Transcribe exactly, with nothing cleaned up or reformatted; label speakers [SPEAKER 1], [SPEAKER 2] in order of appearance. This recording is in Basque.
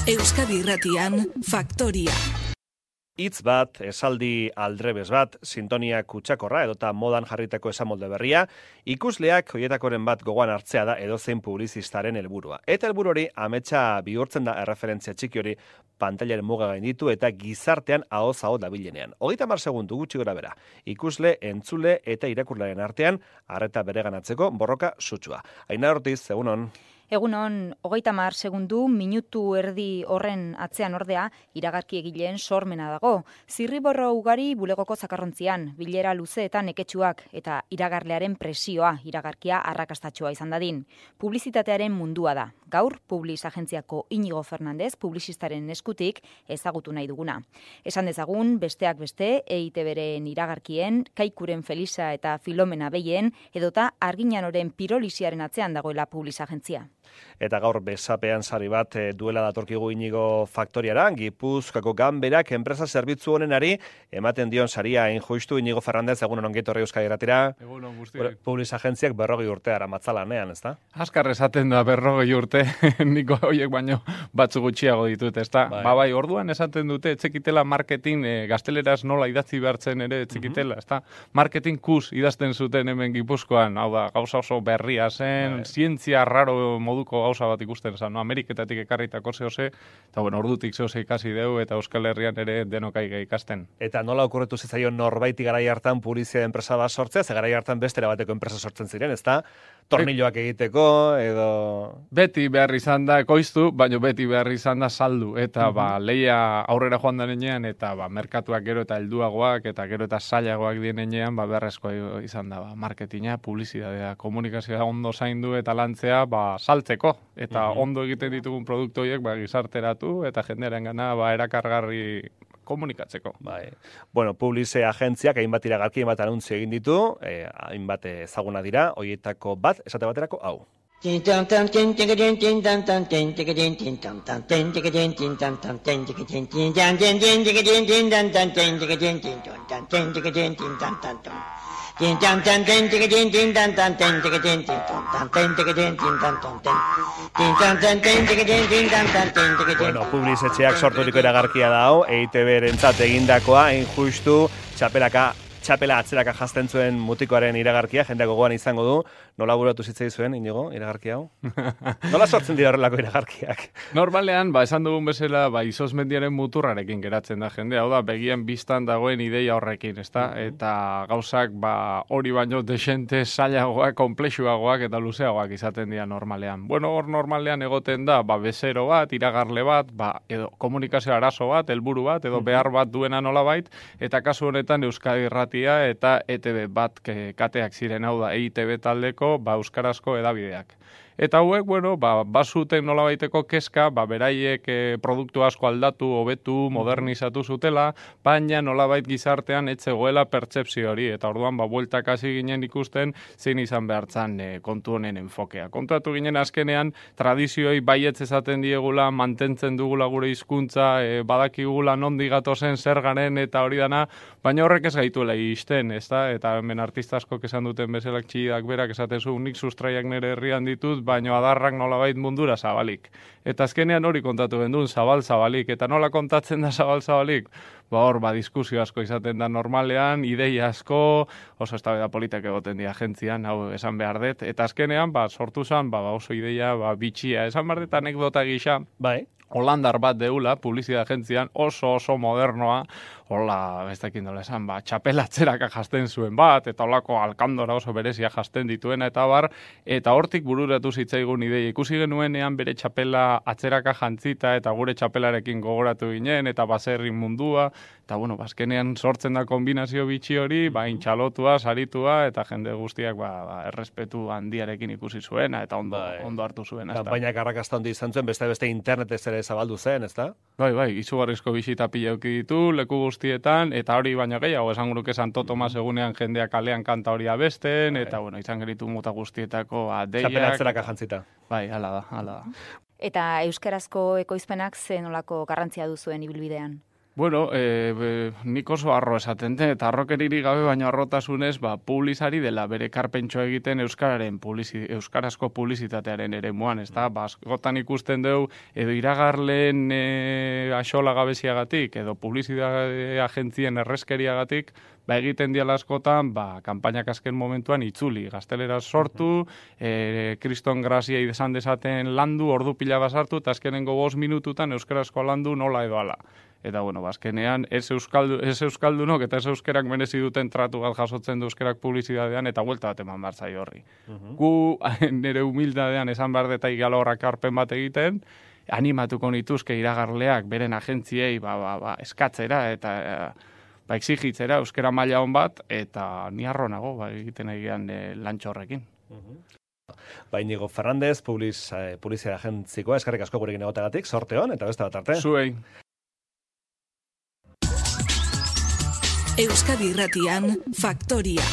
[SPEAKER 1] Euskadi Irratian, Faktoria.
[SPEAKER 2] Hitz bat, esaldi aldrebes bat, sintonia kutsakorra edota modan jarritako esamolde berria, ikusleak hoietakoren bat gogoan hartzea da edozein publizistaren helburua. Eta helburu hori ametsa bihurtzen da erreferentzia txiki hori pantailaren muga gainditu eta gizartean ahoz aho dabilenean. Hogeita hamar segundu gutxi gora bera. Ikusle, entzule eta irakurlaren artean arreta bereganatzeko borroka sutsua. Ainara Ortiz, egunon.
[SPEAKER 3] Egunon, hogeita hamar segundu, minutu erdi horren atzean ordea, iragarki egileen sormena dago. Zirriborro ugari bulegoko zakarrontzian, bilera luzeetan neketsuak eta iragarlearen presioa, iragarkia arrakastatxoa izan dadin. Publizitatearen mundua da. Gaur, Publiz agentziako Inigo Fernandez, publizistaren eskutik ezagutu nahi duguna. Esan dezagun, besteak beste, E I Te Beren iragarkien, Kaikuren Felisa eta Filomena Behien, edota Arginanoren pirolisiaren atzean dagoela Publiz agentzia.
[SPEAKER 2] Eta gaur besapean sari bat e, duela datorkigu Inigo Faktoriara, Gipuzkoako Ganberak enpresa zerbitzu honenari ematen dion saria injustu. Inigo Fernandez, egunon ongi etorri Euskadi Irratira.
[SPEAKER 4] Egunon guztiak.
[SPEAKER 2] Publiz agentziak berrogei urte aramatzalanean, ezta?
[SPEAKER 4] Askar esaten da berrogei urte, niko horiek baino batzu gutxiago ditut, ezta? Bai. Ba bai, orduan esaten dute, etzekitela marketing, e, gazteleraz nola idatzi behartzen ere etzekitela, uh-huh. ezta? Marketing kus idazten zuten hemen Gipuzkoan, hau da, gauza oso berria zen, bai. Zientzia raro moduko gauza bat ikusten zen, no? Ameriketatik ekarritako zehose, eta bueno, ordutik zehose ikasi deu, eta Euskal Herrian ere denokai ikasten.
[SPEAKER 2] Eta nola okurretu zitzaion norbaiti garai hartan publizia enpresa bat sortzea, ze garai hartan bestera bateko enpresa sortzen ziren, ezta? Tornilloak egiteko, edo...
[SPEAKER 4] Beti behar izan da ekoiztu, baina beti behar izan da saldu, eta uh-huh. ba, leia aurrera joan denean, eta ba, merkatuak gero eta helduagoak, eta gero eta zailagoak dienean, ba, beharrezko izan da, ba, marketinga, publizitatea, komunikazioa ondo zaindu eta lantzea, ba, saltzeko, eta uh-huh. ondo egiten ditugun produktu horiek, ba, gizarteratu, eta jendearen gana, ba, erakargarri komunikatzeko.
[SPEAKER 2] Bai. Bueno, Publize agentziak hainbat iragarki, hainbat anuntzio egin ditu, eh, hainbat ezaguna dira, horietako bat, esate baterako, hau. Bueno, Publizetxeak sorturiko iragarkia da hau, E I Te Berentzat egindakoa, injustu, txapelaka, txapela atzeraka jazten zuen mutikoaren iragarkia, jendeak gogoan izango du. Nola buratu zitzai zuen, Inigo, iragarkia hau? Nola sortzen dira horrelako iragarkiak?
[SPEAKER 4] Normalean, ba, esan dugun bezala, ba, izozmendiaren muturrarekin geratzen da jende, hau da, begien biztan dagoen ideia horrekin, ezta? Uh-huh. Eta gauzak, ba, hori baino desente, zailagoak, komplexuagoak eta luzeagoak izaten dira normalean. Bueno, hor normalean egoten da, ba, bezero bat, iragarle bat, ba, edo komunikazio arazo bat, helburu bat, edo uh-huh. behar bat duena nolabait, eta kasu honetan Euskadi Irratia eta E Te Be bat kateak ziren, hau da, E I Te Be taldeko, ba, euskarazko edabideak. Eta hauek, bueno, ba, bazuten nolabaiteko kezka, ba, beraiek e, produktu asko aldatu, hobetu, modernizatu zutela, baina nolabait gizartean etzegoela pertsepzio hori, eta orduan, ba, bueltak hasi ginen ikusten, zein izan behartzan e, kontu honen enfokea. Kontuatu ginen azkenean, tradizioi baietz esaten diegula, mantentzen dugula gure hizkuntza, e, badakigula nondi gatozen zer garen, eta hori dana, baina horrek ez gaituela izten, ezta? Eta hemen artista askok esan duten bezalak txidak berak esaten zu, nik sustraiak nire herrian ditut, baino adarrak nolabait mundura zabalik. Eta azkenean hori kontatu gendun, zabal-zabalik. Eta nola kontatzen da zabal-zabalik? Ba hor, ba, diskusio asko izaten da normalean, ideia asko, oso eztabaida politak egoten dira agentzian, hau esan behar dut. Eta azkenean, ba, sortu zen, ba, oso ideia, ba, bitxia. Esan behar dut anekdota gisa, bai. Holandar bat deula, publizia agentzian, oso oso modernoa, hola, ez dakin dola esan, ba, txapela atzeraka jasten zuen bat, eta holako alkandora oso berezia jasten dituena, eta bar, eta hortik bururatu zitzaigun ideia. Ikusi genuenean bere txapela atzeraka jantzita, eta gure txapelarekin gogoratu ginen, eta baserri mundua, eta bueno, bazkenean sortzen da kombinazio bitxi hori, ba, intxalotua, saritua, eta jende guztiak, ba, ba errespetu handiarekin ikusi zuena, eta ondo, bai. ondo hartu zuen.
[SPEAKER 2] Kanpainak arrakasta handi izan zuen, beste beste internetez ere zabaldu zen, ezta?
[SPEAKER 4] Bai, bai, izugarrizko bisita pila eduki ditu, leku guztietan, eta hori baino gehiago, esan guruke Santo Tomas egunean jendeak kalean kanta hori abesten, bai. Eta bueno, izan geritu muta guztietako adeiak.
[SPEAKER 2] Txapela atzeraka jantzita.
[SPEAKER 4] Bai, hala da, hala da.
[SPEAKER 3] Eta euskarazko ekoizpenak zen olako garrantzia duzuen ibilbidean?
[SPEAKER 4] Bueno, e, be, nik oso arro esaten den, eta arrokeriri gabe baino arrotasunez, ba, publizari dela bere karpentxo egiten euskararen publizi, euskarazko publizitatearen ere muan, ez da? Ba, askotan ikusten dugu, edo iragarleen e, axola gabeziagatik, edo publizitate agentzien erreskeriagatik, ba, egiten diala askotan, ba, kanpainak azken momentuan itzuli, gaztelera sortu, e, kriston grazia izan dezaten landu, ordu pila basartu, eta azkenengo bost minututan euskarazko landu nola edo ala. Eta, bueno, bazkenean, ez, euskaldu, ez euskaldunok eta ez euskerak merezi duten tratu bat jasotzen du euskerak publizitatean eta buelta bat eman barzai horri. Uh-huh. Gu, nire humildadean esan behar deta igala horrak arpen bat egiten, animatuko nituzke iragarleak beren agentziei ba, ba, ba, eskatzera eta ba, exigitzera euskera maila hon bat, eta ni harro nago ba, egiten egian e, lantxo horrekin.
[SPEAKER 2] Uh-huh. Ba, Inigo Fernández, publiz, eh, publizia agentzikoa, eskarrik asko gurekin egotagatik, sorte hon, eta beste bat arte.
[SPEAKER 4] Zuei.
[SPEAKER 1] Euskadi Irratian, Faktoria.